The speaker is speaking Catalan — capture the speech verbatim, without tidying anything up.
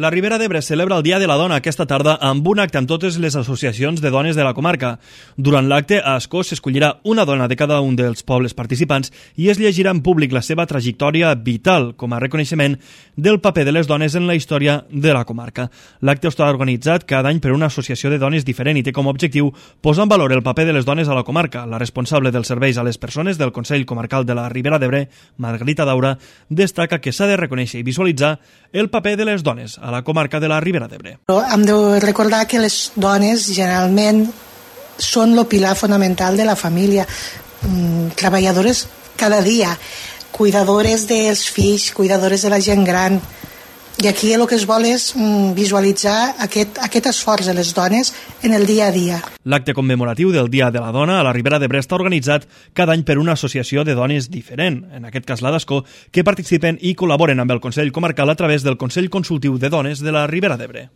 La Ribera d'Ebre celebra el Dia de la Dona aquesta tarda amb un acte amb totes les associacions de dones de la comarca. Durant l'acte, a Ascó s'escollirà una dona de cada un dels pobles participants i es llegirà en públic la seva trajectòria vital com a reconeixement del paper de les dones en la història de la comarca. L'acte està organitzat cada any per una associació de dones diferent i té com a objectiu posar en valor el paper de les dones a la comarca. La responsable dels serveis a les persones del Consell Comarcal de la Ribera d'Ebre, Margarita Daura, destaca que s'ha de reconèixer i visualitzar el paper de les dones a la comarca de la Ribera d'Ebre. Hem de recordar que les dones generalment són el pilar fonamental de la família, treballadores cada dia, cuidadores dels fills, cuidadores de la gent gran. I aquí el que es vol és visualitzar aquest, aquest esforç de les dones en el dia a dia. L'acte commemoratiu del Dia de la Dona a la Ribera d'Ebre està organitzat cada any per una associació de dones diferent, en aquest cas la d'Ascó, que participen i col·laboren amb el Consell Comarcal a través del Consell Consultiu de Dones de la Ribera d'Ebre.